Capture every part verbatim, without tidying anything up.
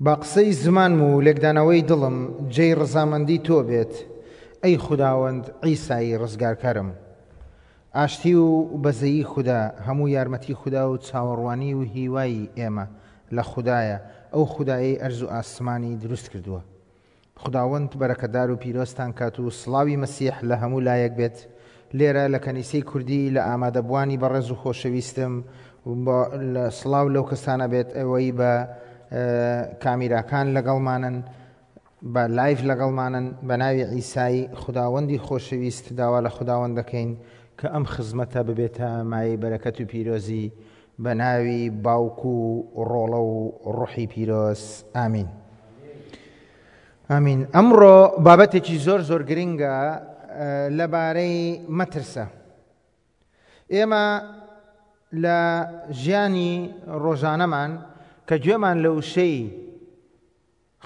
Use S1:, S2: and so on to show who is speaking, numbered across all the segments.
S1: با قسەی زمانم و لێکدانەوەی دڵم جێی ڕەزامەندی تۆ بێت، ئەی خوداوەند عیسای ڕزگارکەرم. ئاشتی و بەزەیی خودا، هەموو یارمەتی خودا و چاوەڕوانی و هیوای ئێمە لە خودایە، ئەو خودایەی ئەرز و ئاسمانی دروست کردووە. خوداوەند بەرەکەدار و پیرۆزتان کات و سڵاوی مەسیح لە هەموو لایەک بێت. لێرە لە کەنیسەی کوردی لە ئامادەبووانی بەڕێز و خۆشەویستم لە سڵاو لەو کەسانە بێت ئەوەی بە کامیراکان لەگەڵمانن، بە live لەگەڵمانن. بە ناوی عیسای خوداوەندی خۆشەویست داوا لە خوداوەند دەکەین کە ئەم خزمەتە ببێتە مایەی بەرەکەت و پیرۆزی بە ناوی باوک و ڕۆڵە و ڕۆحی پیرۆز. ئامین. ئامین. ئەمڕۆ بابەتێکی زۆر زۆر گرنگە لەبارەی مەترسە. ئێمە لە ژیانی ڕۆژانەمان کە گوێمان لە وشەی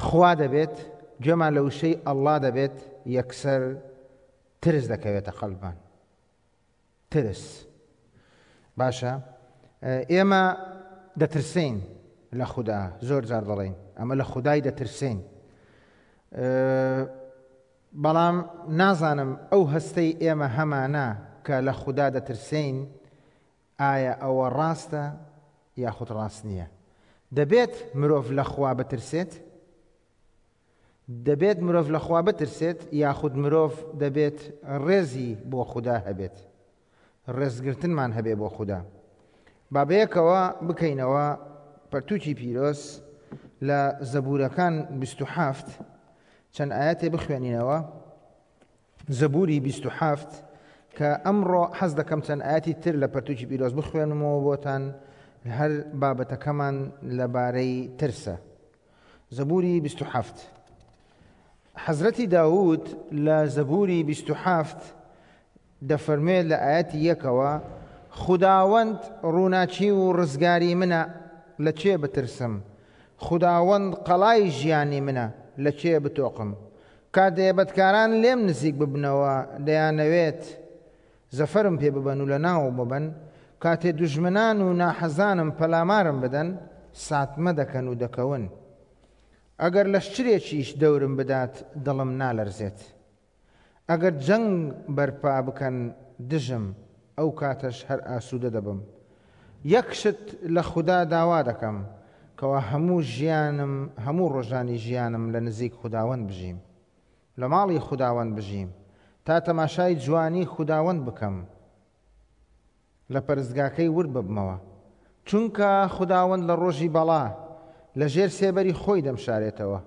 S1: خوا دەبێت، گوێمان لە وشەی ئەڵڵا دەبێت، یەکسەر ترس دەکەوێتە قەلبمان. ترس. باشە، ئێمە دەترسین لە خودا، زۆر جار دەڵێین ئەمە لە خودای دەترسین، بەڵام نازانم ئەو هەستەی ئێمە هەمانە کە لە خودا دەترسین ئایا ئەوە ڕاستە یاخود ڕاست نییە؟ دەبێت مرۆڤ لە خوا بترسێت؟ دەبێت مرۆڤ لە خوا بترسێت یاخود مرۆڤ دەبێت ڕێزی بۆ خودا هەبێت، ڕێزگرتنمان هەبێ بۆ خودا؟ با بەیەکەوە بکەینەوە پەرتووکی پیرۆز لە زەبوورەکان بیست و حەفت چەند ئاەتێ بخوێنینەوە. زەبووری بیست و حەفت کە ئەمڕۆ حەز دەکەم چەند ئاەتی تر لە پەرتووکی پیرۆز بخوێنمەوە بۆتان، هەر بابەتەکەمان لەبارەی ترسە. زەبووری بیست و حەفت. حەزرەتی داود لە زەبووری بیست و حەفت دەفەرموێت لە ئاەتی یەکەوە: خوداوەند ڕووناکی و ڕزگاری منە، لە کێ بترسم؟ خوداوەند قەڵای ژیانی منە، لە کێ بتۆقم؟ کاتێ بەدکاران لێم نزیک ببنەوە، دەیانەوێت زەفەرم پێ ببەن و لە ناو ببەن. کاتێ دوژمنان و ناحەزانم پەلامارم بدەن، ساتمە دەکەن و دەکەون. ئەگەر لەشکرێکیش دەورم بدات، دڵم نالەرزێت. ئەگەر جەنگ بەرپا بکەن دژم، ئەو کاتەش هەر ئاسوودە دەبم. یەک شت لە خودا داوا دەکەم، کەوا هەموو ژیانم، هەموو ڕۆژانی ژیانم لە نزیک خوداوەند بژیم، لە ماڵی خوداوەند بژیم، تا تەماشای جوانی خوداوەند بکەم، لە پەرستگاکەی ورد ببمەوە. چونکە خوداوەند لە ڕۆژی بەڵا لە ژێر سێبەری خۆی دەمشارێتەوە،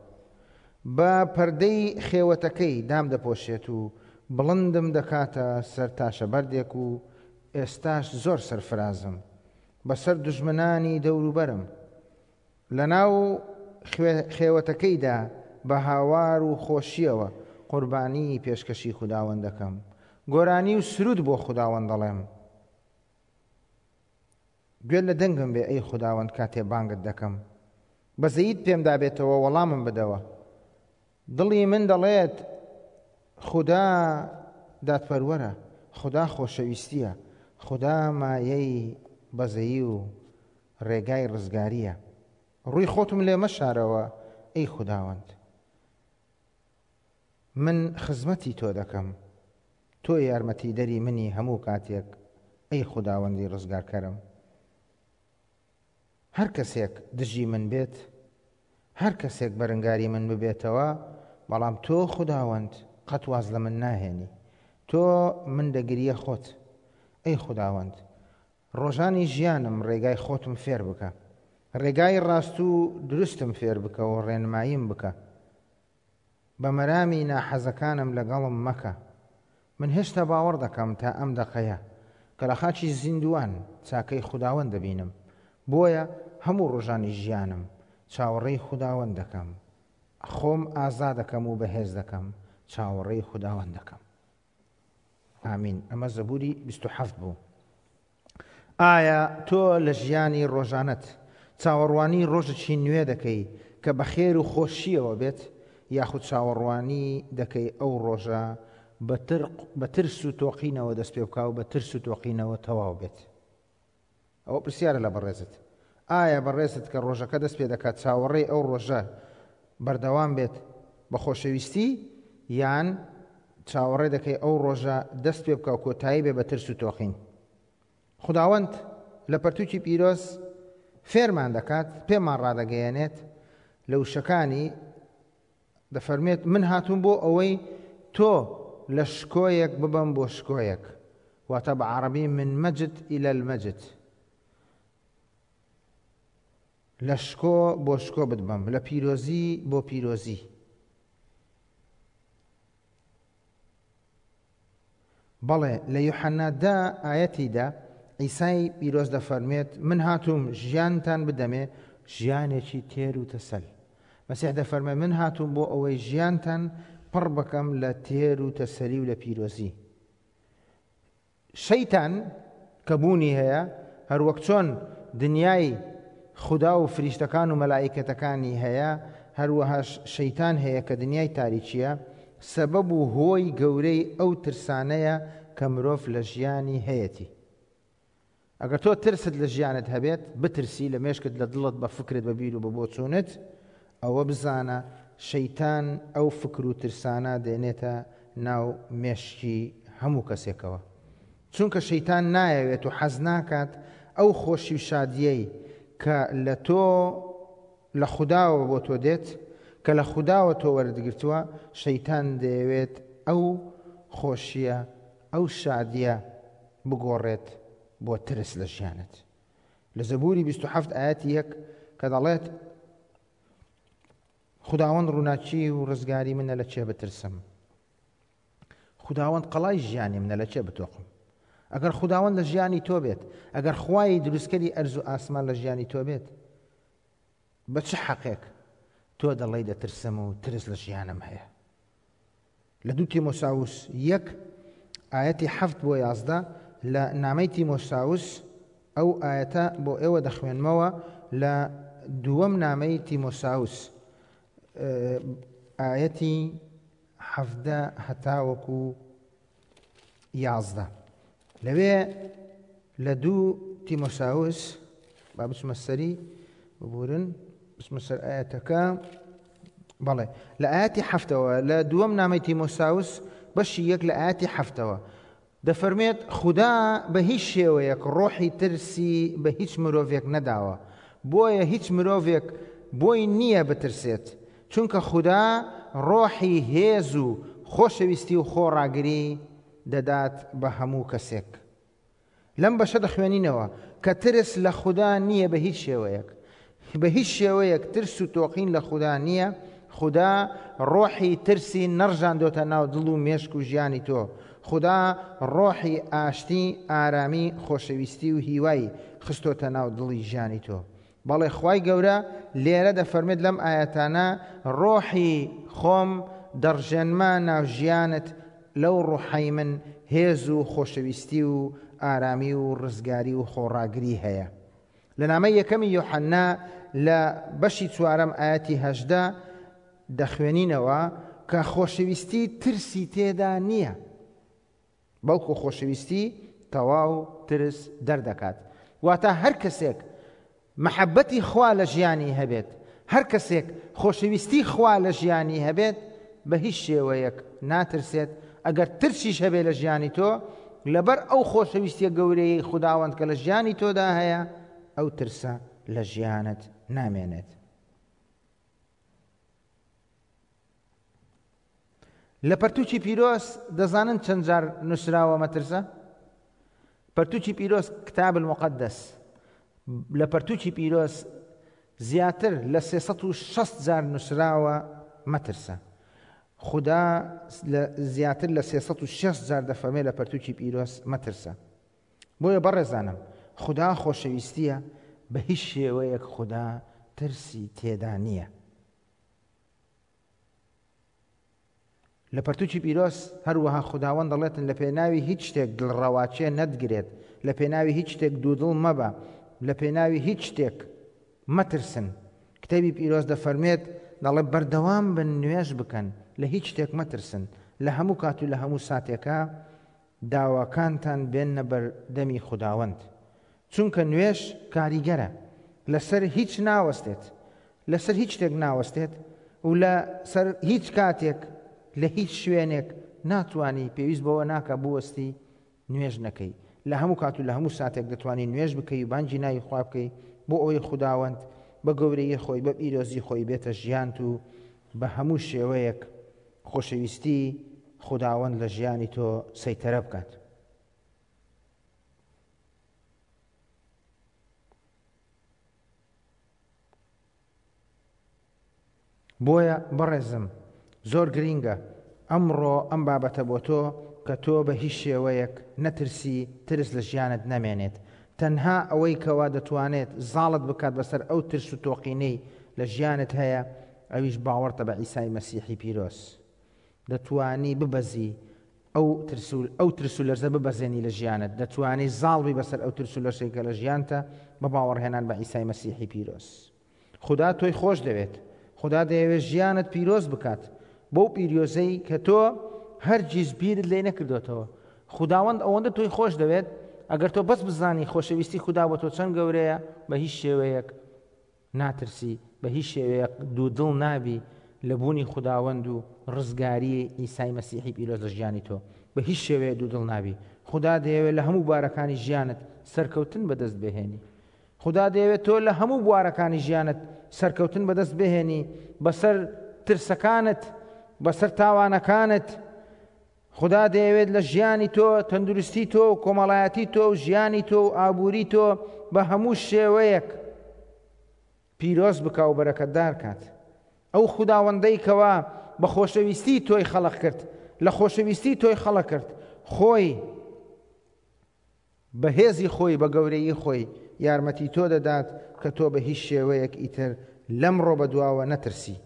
S1: بە پەردەی خێوەتەکەی دام دەپۆشێت و بڵندم دەکاتە سەر تاشەبەردێک و ئێستاش زۆر سەرفرازم بەسەر دوژمنانی دەوروبەرم. لەناو خێوەتەکەیدا بە هاوار و خۆشیەوە قوربانی پێشکەشی خوداوەند دەکەم، گۆرانی و سرود بۆ خوداوەند دەڵێم. گوێ لە دەنگم بێ ئەی خوداوەند کاتێ بانگت دەکەم، بەزەیت پێمدا بێتەوە وەڵامم بدەوە. دڵی من دەڵێت خودا دادپەروەرە، خودا خۆشەویستیە، خودا مایەی بەزەیی و ڕێگای ڕزگاریە. ڕووی خۆتم لێ مەشارەوە ئەی خوداوەند، من خزمەتی تۆ دەکەم، تۆ یارمەتی دەری منی هەموو کاتێک ئەی خوداوەندی ڕزگارکەرم. هەر کەسێک دژی من بێت، هەر کەسێک بەرەنگاری من ببێتەوە، بەڵام تۆ خوداوەند قەت واز لە من ناهێنی، تۆ من دەگریە خۆت. ئەی خوداوەند ڕۆژانی ژیانم ڕێگای خۆتم فێر بکە، ڕێگای ڕاست و دروستم فێر بکە و ڕێنماییم بکە. بە مەرامی ناحەزەکانم لەگەڵم مەکە. من هێشتا باوەڕ دەکەم تا ئەم دەقەیە کە لە خاکی زیندووان چاکەی خوداوەند دەبینم، بۆیە هەموو ڕۆژانی ژیانم چاوەڕێی خوداوەند دەکەم، خۆم ئازا دەکەم و بەهێز دەکەم، چاوەڕێی خوداوەند دەکەم. ئامین. ئەمە زەبووری بیست و حەفت بوو. ئایا تۆ لە ژیانی ڕۆژانەت چاوەڕوانی ڕۆژێکی نوێ دەکەی کە بە خێر و خۆشیەوە بێت، یاخود چاوەڕوانی دەکەی ئەو ڕۆژە بە ترس و تۆقینەوە دەست پێ بکا و بە ترس و تۆقینەوە تەواو بێت؟ ئەوە پرسیارە لە بەڕێزت. ئایا بەڕێزت کە ڕۆژەکە دەست پێ دەکات چاوەڕێی ئەو ڕۆژە بەردەوام بێت بە خۆشەویستی، یان چاوەڕێ دەکەی ئەو ڕۆژە دەست پێ بکە و کۆتایی بێ بە ترس و تۆقین؟ خداوەند لە پەرتوکی پیرۆز فێرمان دەکات، پێمان ڕادەگەیەنێت لە وشەکانی دەفەرمێت من هاتووم بۆ ئەوەی تۆ لە شکۆیەک ببەم بۆ شکۆیەک، واتە بە عەرەبی من مەجد إلى المەجد، لە شکۆ بۆ شکۆ بتبەم، لە پیرۆزی بۆ پیرۆزی. بەڵێ لە یوحەنا دە ئایەتیدا عیسای پیرۆز دەفەرمێت من هاتووم ژیانتان بدەمێ، ژیانێکی تێر و تەسەل. مەسیح دەفەرمێ من هاتووم بۆ ئەوەی ژیانتان پڕ بکەم لە تێر و تەسەلی و لە پیرۆزی. شەیتان کە بوونی هەیە، هەروەک چۆن دنیای خدا و فریشتەکان و مەلائیکەتەکانی هەیە، هەروەهاش شەیتان هەیە کە دنیای تاریکیە، سەبەب و هۆی گەورەی ئەو ترسانەیە کە مرۆڤ لە ژیانی هەیەتی. ئەگەر تۆ ترست لە ژیانت هەبێت، بترسی لە مێشکت، لە دڵت، بە فکرت، بە بیر و بە بۆچوونت، ئەوە بزانە شەیتان ئەو فکر و ترسانە دێنێتە ناو مێشکی هەموو کەسێکەوە. چونکە شەیتان نایەوێت و حەز ناکات ئەو خۆشی و شادیەی کە لە تۆ لە خوداوە بۆ تۆ دێت، کە لە خوداوە تۆ وەردگرتووە، شەیتان دەیەوێت ئەو خۆشیە، ئەو شادیە بگۆڕێت بۆ ترس لە ژیانت. لە زەبوری بیست و حەفت ئایەتی یەک کە دەڵێت خداوەند ڕووناکی و ڕزگاری منە لە چێ بترسم، خداوەند قەڵای ژیانی منە لە چێ بتۆقم. ئەگەر خداوەند لە ژیانی تۆ بێت، ئەگەر خوای دروستکەری ئەرز و ئاسمان لە ژیانی تۆ بێت، بە چ حەقێک تۆ دەڵێی دەترسم و ترس لە ژیانم هەیە؟ لە دوو تیمۆساوس یەک ئایەتی حەفت بۆ یازدە لە نامەی تیمۆساوس ئەو ئایەتە بۆ ئێوە دەخوێنمەوە. لە دووەم نامەی تیمۆساوس ئایەتی حەفدە هەتاوەکو یازدە، لەوێ لە دوو تیمۆساوس با بچمە سەری، ببورن بچمە سەر ئایەتەکە. بەڵێ لە ئایەتی حەفتەوە لە دووەم نامەی تیمۆساوس بەشی یەک لە ئایەتی حەفتەوە دەفەرمێت خودا بە هیچ شێوەیەک ڕۆحی ترسی بە هیچ مرۆڤێک نەداوە، بۆیە هیچ مرۆڤێک بۆی نییە بترسێت، چونکە خودا ڕۆحی هێز و خۆشەویستی و خۆڕاگری دەدات بە هەموو کەسێک. لەم بەشە دەخوێنینەوە کە ترس لە خودا نییە بە هیچ شێوەیەک، بە هیچ شێوەیەک ترس و تۆقین لە خودا نییە. خودا ڕۆحی ترسی نەڕژاندۆتە ناو دڵ و مێشک و ژیانی تۆ. خودا ڕۆحی ئاشتی، ئارامی، خۆشەویستی و هیوای خستۆتە ناو دڵی ژیانی تۆ. بەڵێ خوای گەورە لێرە دەفەرمێت لەم ئاەتانە ڕۆحی خۆم دەڕژێنمە ناو ژیانت، لەو ڕۆحەی من هێز و خۆشەویستی و ئارامی و ڕزگاری و خۆڕاگری هەیە. لە نامەی یەکەمی یۆحەنا لە بەشی چوارەم ئاەتی هەژدە دەخوێنینەوە کە خۆشەویستی ترسی تێدا نییە، بەڵکو خۆشەویستی تەواو ترس دەردەکات. واتە هەر کەسێک محەبەتی خوا لە ژیانی هەبێت، هەر کەسێک خۆشەویستی خوا لە ژیانی هەبێت، بە هیچ شێوەیەک ناترسێت. ئەگەر ترسیش هەبێت لە ژیانی تۆ، لەبەر ئەو خۆشەویستیە گەورەیەی خوداوەند کە لە ژیانی تۆدا هەیە، ئەو ترسە لە ژیانت نامێنێت. لە پەرتوکی پیرۆز دەزانن چەند جار نووسراوە مەترسە؟ پەرتوکی پیرۆز کتاب المقدس لە پەرتوکی پیرۆز زیاتر لە سێسەد و شەست جار نووسراوە مەترسە. خدا زیاتر لە سێسەد و شەست جار دەفەرمێ لە پەرتوکی پیرۆز مەترسە. بۆیە بەڕێزانم خدا خۆشەویستیە، بە هیچ شێوەیەک خدا ترسی تێدا نییە. لە پەرتوکی پیرۆز هەروەها خداوەند دەڵێتن لە پێناوی هیچ شتێک دڵڕەواچێ نەتگرێت، لە پێناوی هیچ شتێک دوودڵ مەبە، لە پێناوی هیچ شتێک مەترسن. کتێبی پیرۆز دەفەرمێت دەڵێ بەردەوام بن نوێژ بکەن، لە هیچ شتێک مەترسن، لە هەموو کات و لە هەموو ساتێکە داواکانتان بێننە بەردەمی خداوەند، چونکە نوێژ کاریگەرە. لەسەر هیچ ناوەستێت، لەسەر هیچ شتێک ناوەستێت و لەسەر هیچ کاتێک لە هیچ شوێنێک ناتوانی، پێویست بەوە ناکە بوەستی نوێژ نەکەی. لە هەموو کات و لە هەموو ساتێک دەتوانی نوێژ بکەی و بانگی ناوی خوا بکەی بۆ ئەوەی خوداوەند بە گەورەیی خۆی بە پیرۆزی خۆی بێتە ژیانت و بە هەموو شێوەیەک خۆشەویستی خوداوەند لە ژیانی تۆ سەیتەرە بکات. بۆیە بەڕێزم زۆر گرینگە ئەمڕۆ ئەم بابەتە بۆ تۆ کە تۆ بە هیچ شێوەیەک نەترسی، ترس لە ژیانت نەمێنێت. تەنها ئەوەی کەوا دەتوانێت زاڵت بکات بەسەر ئەو ترس و تۆقینەی لە ژیانت هەیە، ئەویش باوەڕتە بە عیسای مەسیحی پیرۆز. دەتوانی ببەزی ئەو ترس و ئەو ترس و لەرزە ببەزێنی لە ژیانت، دەتوانی زاڵ بی بەسەر ئەو ترس و لەرزەی کە لە ژیانتە بە باوەڕهێنان بە عیسای مەسیحی پیرۆز. خودا تۆی خۆش دەوێت، خودا دەیەوێت ژیانت پیرۆز بکات بەو پیرۆزەی کە تۆ هەرگیز بیرت لێ نەکردوتەوە. خوداوەند ئەوەندە تۆی خۆش دەوێت، ئەگەر تۆ بەس بزانی خۆشەویستی خودا بۆ تۆ چەند گەورەیە، بە هیچ شێوەیەک ناترسی، بە هیچ شێوەیەک دوودڵ نابی لە بوونی خوداوەند و ڕزگاری عیسای مەسیحی پیرۆز لە ژیانی تۆ، بە هیچ شێوەیە دوودڵ نابی. خودا دەیەوێت لە هەموو بارەکانی ژیانت سەرکەوتن بەدەست بهێنی. خودا دەیەوێت تۆ لە هەموو بوارەکانی ژیانت سەرکەوتن بەدەست بهێنی، بەسەر ترسەکانت، بەسەر تاوانەکانت. خودا دەیەوێت لە ژیانی تۆ، تەندروستی تۆ و کۆمەڵایەتی تۆ و ژیانی تۆ و ئابووری تۆ بە هەموو شێوەیەک پیرۆز بکا و بەرەکەتدار کات. ئەو خوداوەندەی کەوا بە خۆشەویستی تۆی خەڵق کرد، لە خۆشەویستی تۆی خەڵق کرد، خۆی بە هێزی خۆی بە گەورەیی خۆی یارمەتی تۆ دەدات کە تۆ بە هیچ شێوەیەک ئیتر لەمڕۆ بەدواوە نەترسی.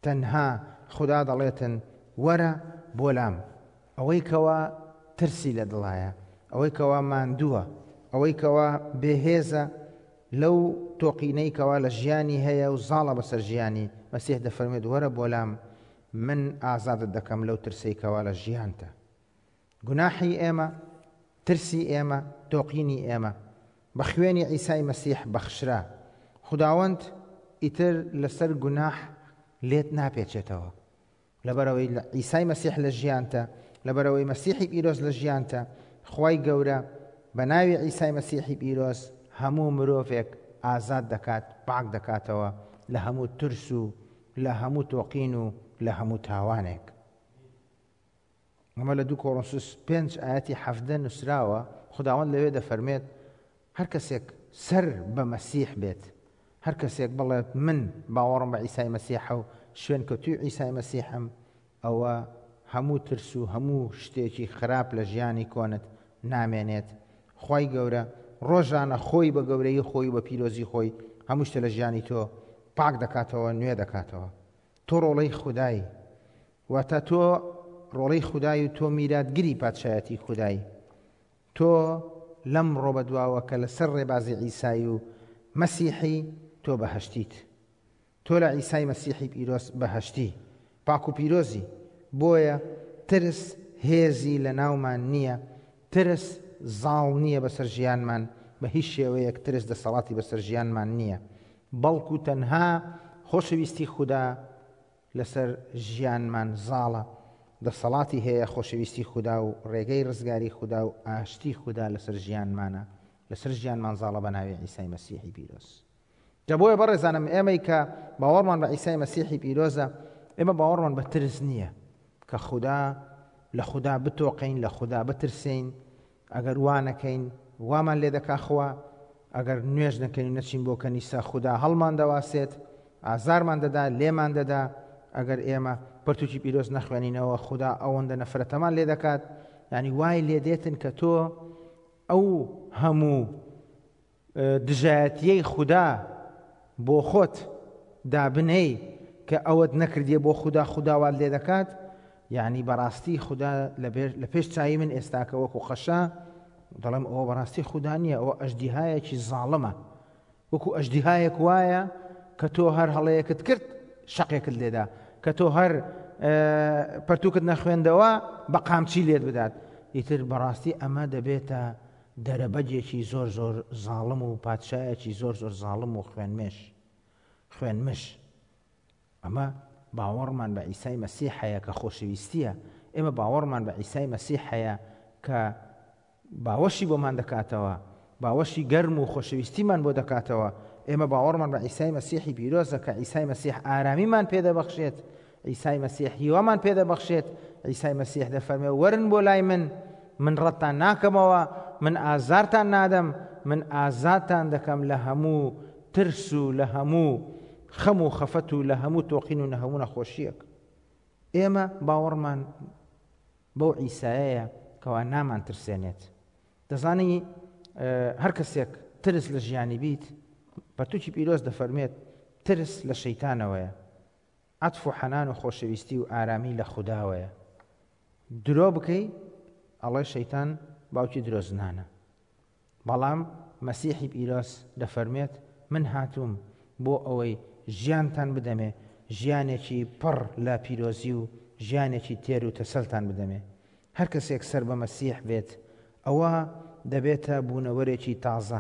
S1: تەنها خودا دەڵێتن وەرە بۆ لام. ئەوەی کەوا ترسی لە دڵایە، ئەوەی کەوا ماندووە، ئەوەی کەوا بێهێزە لەو تۆقینەی کەوا لە ژیانی هەیە و زاڵە بەسەر ژیانی، مەسیح دەفەرمێت وەرە بۆ لام، من ئازادت دەکەم لەو ترسەی کەوا لە ژیانتە. گوناحی ئێمە، ترسی ئێمە، تۆقینی ئێمە بە خوێنی عیسای مەسیح بەخشرا. خوداوەند ئیتر لەسەر گوناح لێت ناپێچێتەوە. لەبەرەوەی عیسای مەسیح لە ژیانتە، لەبەرەوەی مەسیحی پیرۆز لە ژیانتە، خوای گەورە بە ناوی عیسای مەسیحی پیرۆز هەموو مرۆڤێک ئازاد دەکات، پاک دەکاتەوە لە هەموو ترس و لە هەموو تۆقین و لە هەموو تاوانێک. ئەمە لە دوو کۆرنسوس پێنج ئاەتی حەفدە نووسراوە. خوداوەند لەوێ دەفەرمێت هەر کەسێک سەر بە مەسیح بێت، هەر کەسێک بڵێت من باوەڕم بە عیسای مەسیحە و شوێنکەوتووی عیسای مەسیحم، ئەوە هەموو ترس و هەموو شتێکی خراپ لە ژیانی کۆنت نامێنێت. خوای گەورە ڕۆژانە خۆی بە گەورەی خۆی و بە پیرۆزی خۆی هەموو شتە لە ژیانی تۆ پاک دەکاتەوە، نوێ دەکاتەوە. تۆ ڕۆڵەی خودایی، واتە تۆ ڕۆڵەی خودای و تۆ میراتگری پادشایەتی خودایی. تۆ لەم ڕۆ بەدواوە کە لەسەر ڕێبازی عیسای و مەسیحی تۆ بەهەشتیت. تۆ لە عیسای مەسیحی پیرۆز بەهەشتی، پاک و پیرۆزی. بۆیە ترس هێزی لە ناومان نییە، ترس زاڵ نییە بەسەر ژیانمان، بە هیچ شێوەیەک ترس دەسەڵاتی بەسەر ژیانمان نییە، بەڵکو تەنها خۆشەویستی خودا لەسەر ژیانمان زاڵە، دەسەڵاتی هەیە خۆشەویستی خودا و ڕێگەی ڕزگاری خودا و ئاشتی خودا لەسەر ژیانمانە، لەسەر ژیانمان زاڵە بە ناوی عیسای مەسیحی پیرۆز. جا بۆیە بەڕێزانم ئێمەی کە باوەڕمان بە عیسای مەسیحی پیرۆزە، ئێمە باوەڕمان بە ترس نییە کە خودا لە خودا بتۆقین، لە خودا بترسین. ئەگەر وا نەکەین وامان لێ دەکا خوا، ئەگەر نوێژ نەکەین و نەچین بۆ کەنیسە خودا هەڵمان دەواسێت، ئازارمان دەدا، لێمان دەدا. ئەگەر ئێمە پەرتوکی پیرۆز نەخوێنینەوە خودا ئەوەندە نەفرەتەمان لێ دەکات. یعنی وای لێ دێتن کە تۆ ئەو هەموو دژایەتیەی خودا بۆ خۆت دابنەی کە ئەوەت نەکردیە بۆ خودا، خودا وات لێ دەکات. یعنی بەڕاستی خودا لە پێش چاوی من ئێستاکە وەکو قەشە دەڵێم ئەوە بەڕاستی خودا نییە، ئەوە ئەژدیهایەکی زاڵمە. وەکو ئەژدیهایەک وایە کە تۆ هەر هەڵەیەکت کرد شەقێکت لێدا، کە تۆ هەر پەرتوکت نەخوێندەوە بە قامچی لێت بدات. ئیتر بەڕاستی ئەمە دەبێتە دەرەبەگێکی زۆر زۆر زاڵم و پادشایەکی زۆر زۆر زاڵم و خوێنمێش خوێنمش. ئەمە باوەڕمان بە عیسای مەسیح هەیە کە خۆشەویستیە. ئێمە باوەڕمان بە عیسای مەسیح هەیە کە باوەشی بۆمان دەکاتەوە، باوەشی گەرم و خۆشەویستیمان بۆ دەکاتەوە. ئێمە باوەڕمان بە عیسای مەسیحی پیرۆزە کە عیسای مەسیح ئارامیمان پێدەبەخشێت، عیسای مەسیح هیوامان پێدەبەخشێت. عیسای مەسیح دەفەرمێ وەرن بۆ لای من، من ڕەتتان ناکەمەوە، من ئازارتان نادەم، من ئازادتان دەکەم لە هەموو ترس و لە هەموو خەم و خەفەت و لە هەموو تۆقین و لە هەموو نەخۆشیەک. ئێمە باوەڕمان بەو عیسایەیە کەوا نامان ترسێنێت. دەزانی هەر کەسێک ترس لە ژیانی بیت، پەرتوکی پیرۆز دەفەرمێت ترس لە شەیتانەوەیە، عەتف و حەنان و خۆشەویستی و ئارامی لە خوداوەیە. درۆ بکەی ئەڵێ شەیتان باوکی درۆزنانە، بەڵام مەسیحی پیرۆز دەفەرمێت من هاتووم بۆ ئەوەی ژیانتان بدەمێ، ژیانێکی پڕ لە پیرۆزی و ژیانێکی تێر و تەسەلتان بدەمێ. هەر کەسێک سەر بە مەسیح بێت ئەوە دەبێتە بوونەوەرێکی تازە.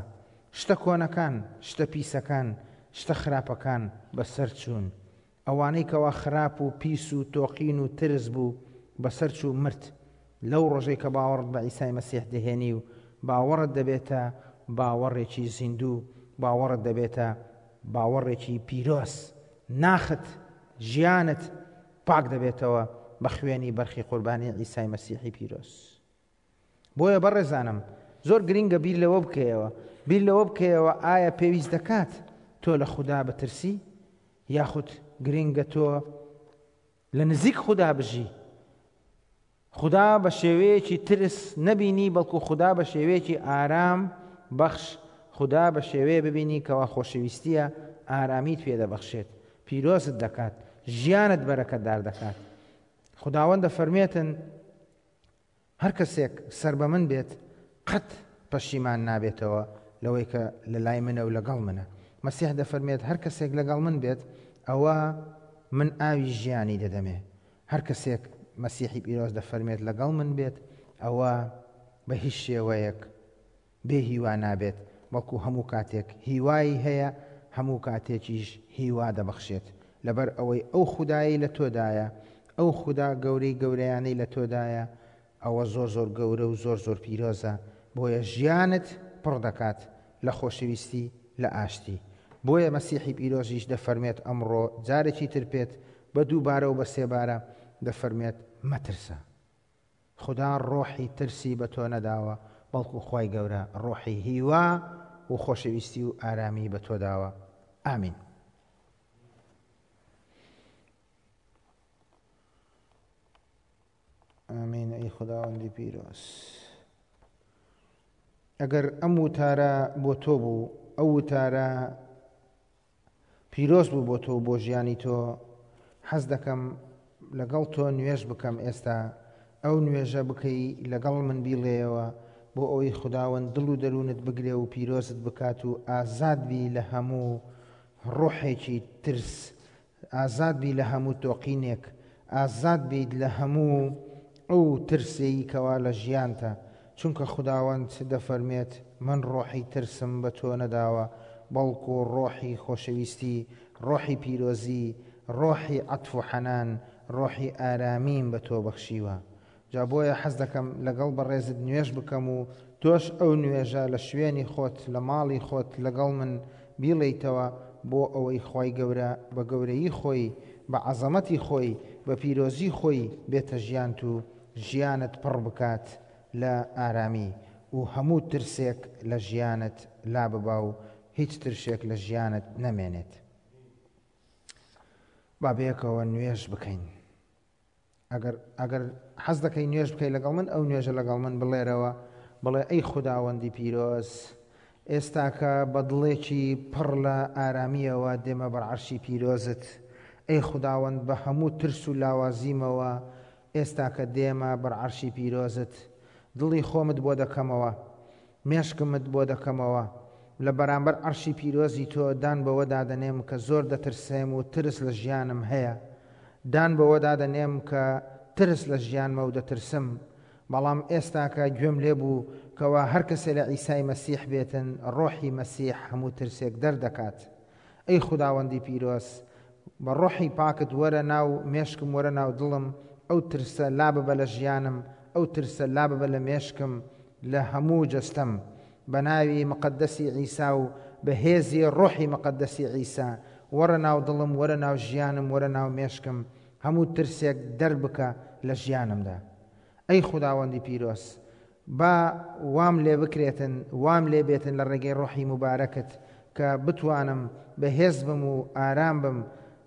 S1: شتە کۆنەکان، شتە پیسەکان، شتە خراپەکان بەسەر چوون. ئەوانەی کەوا خراپ و پیس و تۆقین و ترس بوو بەسەر چوو مرد. لەو ڕۆژەی کە باوەڕت بە عیسای مەسیح دەهێنی و باوەڕت دەبێتە باوەڕێکی زیندوو، باوەڕت دەبێتە باوەڕێکی پیرۆز، ناخت ژیانت پاک دەبێتەوە بە خوێنی بەرخی قوربانی عیسای مەسیحی پیرۆز. بۆیە بەڕێزانم زۆر گرنگە بیر لەوە بکەیەوە، بیر لەوە بکەیەوە ئایا پێویست دەکات تۆ لە خودا بترسی، یاخود گرنگە تۆ لە نزیک خودا بژی. خودا بە شێوەیەکی ترس نەبینی، بەڵکو خودا بە شێوەیەکی ئارام بەخش، خودا بە شێوەیە ببینی کەوا خۆشەویستیە ئارامیت پێدەبەخشێت، پیرۆزت دەکات، ژیانت بەرەکەتدار دەکات. خداوەند دەفەرمێتن هەر کەسێک سەر بە من بێت قەت پەشیمان نابێتەوە لەوەی کە لە لای منە و لەگەڵ منە. مەسیح دەفەرمێت هەر کەسێک لەگەڵ من بێت ئەوە من ئاوی ژیانی دەدەمێ. هەر کەسێک مەسیحی پیرۆز دەفەرمێت لەگەڵ من بێت ئەوە بە هیچ شێوەیەک بێ هیوا نابێت، بەڵکو هەموو کاتێک هیوایی هەیە، هەموو کاتێکیش هیوا دەبەخشێت. لەبەر ئەوەی ئەو خودایی لە تۆدایە، ئەو خودا گەورەی گەورەیانەی لە تۆدایە، ئەوە زۆر زۆر گەورە و زۆر زۆر پیرۆزە. بۆیە ژیانت پڕ دەکات لە خۆشەویستی، لە ئاشتی. بۆیە مەسیحی پیرۆزیش دەفەرمێت ئەمڕۆ جارێکی تر پێت بە دووبارە و بە سێبارە دەفەرمێت مەترسە. خدا ڕۆحی ترسی بە تۆ نەداوە، بەڵکو خوای گەورە ڕۆحی هیوا و خۆشەویستی و ئارامی بە تۆ داوە. ئامین. ئامین. ئەی خداوەندی پیرۆز، ئەگەر ئەم وتارە بۆ تۆ بوو، ئەو وتارە پیرۆز بوو بۆ تۆ بۆ ژیانی تۆ، حەز دەکەم لەگەڵ تۆ نوێژ بکەم. ئێستا ئەو نوێژە بکەی لەگەڵ من بیڵێیەوە بۆ ئەوەی خداوەند دڵ و دەروونت بگرێ و پیرۆزت بکات و ئازاد بی لە هەموو ڕۆحێکی ترس، ئازاد بی لە هەموو تۆقینێک، ئازاد بیت لە هەموو ئەو ترسەی کەوا لە ژیانتە. چونکە خداوەند دەفەرمێت من ڕۆحی ترسم بە تۆ نەداوە، بەڵکو ڕۆحی خۆشەویستی، ڕۆحی پیرۆزی، ڕۆحی عەتف و حەنان، ڕۆحی ئارامیم بە تۆ بەخشیوە. جا بۆیە حەز دەکەم لەگەڵ بەڕێزت نوێژ بکەم و تۆش ئەو نوێژە لە شوێنی خۆت، لە ماڵی خۆت لەگەڵ من بیڵێیتەوە بۆ ئەوەی خوای گەورە بە گەورەیی خۆی، بە عەزەمەتی خۆی، بە پیرۆزی خۆی بێتە ژیانت و ژیانت پڕ بکات لە ئارامی و هەموو ترسێک لە ژیانت لا ببا و هیچ ترسێک لە ژیانت نەمێنێت. با بەیەکەوە نوێژ بکەین. ئەگەر ئەگەر حەز دەکەی نوێژ بکەی لەگەڵ من، ئەو نوێژە لەگەڵ من بڵێرەوە، بڵێ ئەی خوداوەندی پیرۆز، ئێستاکە بە دڵێکی پڕ لە ئارامیەوە دێمە بەر عەرشی پیرۆزت. ئەی خوداوەند بە هەموو ترس و لاوازیمەوە ئێستاکە دێمە بەر عەرشی پیرۆزت. دڵی خۆمت بۆ دەکەمەوە، مێشکمت بۆ دەکەمەوە، لە بەرامبەر عەرشی پیرۆزی تۆ دان بەوە دادەنێم کە زۆر دەترسێم و ترس لە ژیانم هەیە. دان بەوە دادەنێم کە ترس لە ژیانمە و دەترسم، بەڵام ئێستاکە گوێم لێبوو کەوا هەر کەسێ لە عیسای مەسیح بێتن، ڕۆحی مەسیح هەموو ترسێک دەردەکات. ئەی خوداوەندی پیرۆز، بە ڕۆحی پاکت وەرە ناو مێشکم، وەرە ناو دڵم، ئەو ترسە لا ببە لە ژیانم، ئەو ترسە لا ببە لە مێشکم، لە هەموو جەستەم. بە ناوی مقدەسی عیسا و بە هێزی ڕۆحی مقدەسی عیسا وەرە ناو دڵم، وەرە ناو ژیانم، وەرە ناو مێشکم، هەموو ترسێک دەربکە لە ژیانمدا. ئەی خوداوەندی پیرۆز، با وام لێ بکرێتن، وام لێ بێتن لە ڕێگەی ڕۆحی موبارەکت کە بتوانم بەهێز بم و ئارام بم،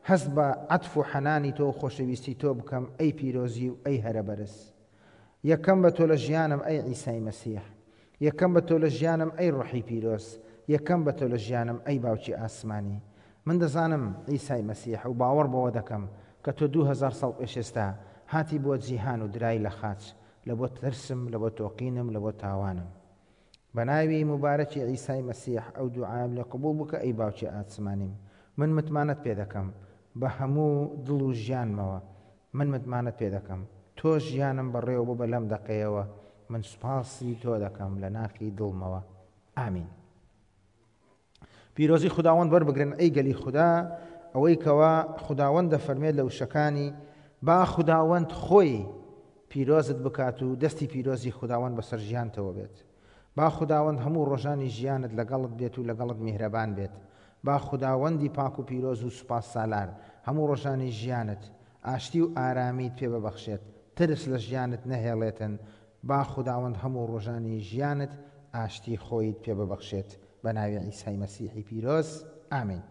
S1: هەست بە عەتف و حەنانی تۆ و خۆشەویستی تۆ بکەم ئەی پیرۆزی و ئەی هەرە بەرز. یەکەم بە تۆ لە ژیانم ئەی عیسای مەسیح، یەکەم بە تۆ لە ژیانم ئەی ڕۆحی پیرۆز، یەکەم بە تۆ لە ژیانم ئەی باوکی ئاسمانی. من دەزانم عیسای مەسیح و باوەڕ بەوە دەکەم کە تۆ دوو هەزار ساڵ پێش ئێستا هاتی بۆ جیهان و درای لە خاچ، لە بۆ ترسم، لە بۆ تۆقینم، لە بۆ تاوانم. بە ناوی موبارەکی عیسای مەسیح ئەو دوعایم لێ قبوڵ بکە ئەی باوکی ئاسمانیم. من متمانەت پێ دەکەم بە هەموو دڵ و ژیانمەوە، من متمانەت پێ دەکەم. تۆ ژیانم بەڕێوە بۆ بە لەم دەقەیەوە، من سوپاسی تۆ دەکەم لە ناخی دڵمەوە. ئامین. پیرۆزی خوداوەند وەربگرن ئەی گەلی خودا، ئەوەی کەوا خوداوەند دەفەرمێت لە وشەکانی با خوداوەند خۆی پیرۆزت بکات و دەستی پیرۆزی خوداوەند بەسەر ژیانتەوە بێت. با خوداوەند هەموو ڕۆژانی ژیانت لەگەڵت بێت و لەگەڵت میهرەبان بێت. با خوداوەندی پاک و پیرۆز و سوپاس سالار هەموو ڕۆژانی ژیانت ئاشتی و ئارامیت پێ ببەخشێت، ترس لە ژیانت نەهێڵێتن. با خوداوەند هەموو ڕۆژانی ژیانت ئاشتی خۆیت پێ ببەخشێت. بە ناوی عیسای مەسیحی پیرۆز، ئامین.